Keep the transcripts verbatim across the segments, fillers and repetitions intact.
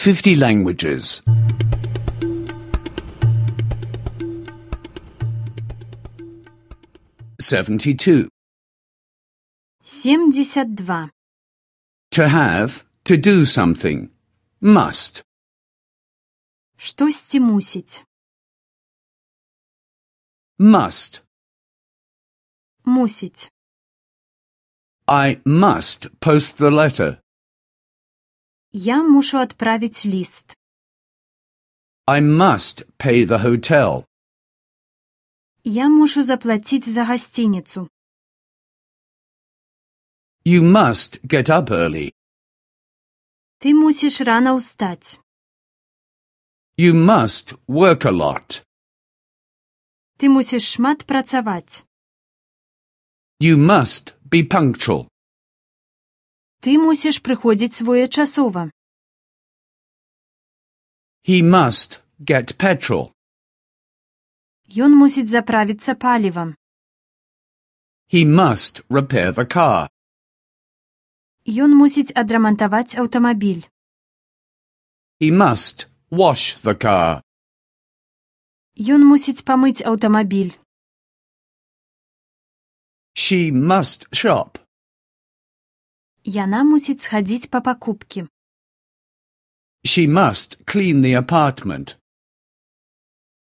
fifty languages. Seventy-two. Семьдесят два. To have, to do something. Must. Штосьці мусіць. Must. Мусіць. I must post the letter. Я мушу адправіць ліст. I must pay the hotel. Я мушу заплаціць за гасцініцу. You must get up early. Ты мусіш рана ўстаць. You must work a lot. Ты мусіш шмат працаваць. You must be punctual. Ты мусіш прыходзіць своечасова. He must get petrol. Ён мусіць заправіцца палівам. He must repair the car. Ён мусіць адрамантаваць аўтамабіль. He must wash the car. Ён мусіць памыць аўтамабіль. She must shop. Яна мусіць схадзіць па пакупкі. She must clean the apartment.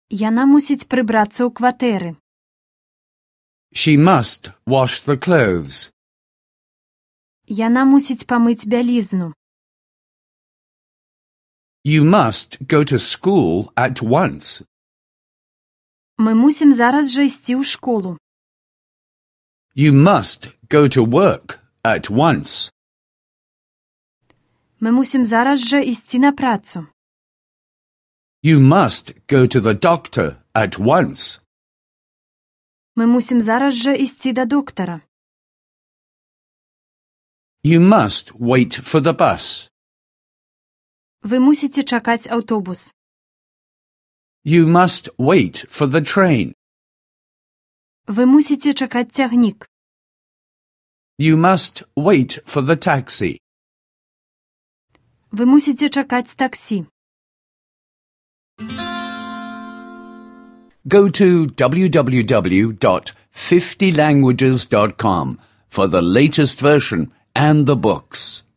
Яна мусіць прыбрацца ў кватэры. She must wash the clothes. Яна мусіць памыць бялізну. You must go to school at once. Мы мусім зараз жа ісці ў школу. You must go to work at once. Мы мусім зараз жа ісці на працу. You must go to the doctor at once. Мы мусім зараз жа ісці да доктара. You must wait for the bus. Вы мусіце чакаць аўтобус. You must wait for the train. Вы мусіце чакаць цягнік. You must wait for the taxi. Вы мусіце чакаць таксі. Go to w w w dot fifty languages dot com for the latest version and the books.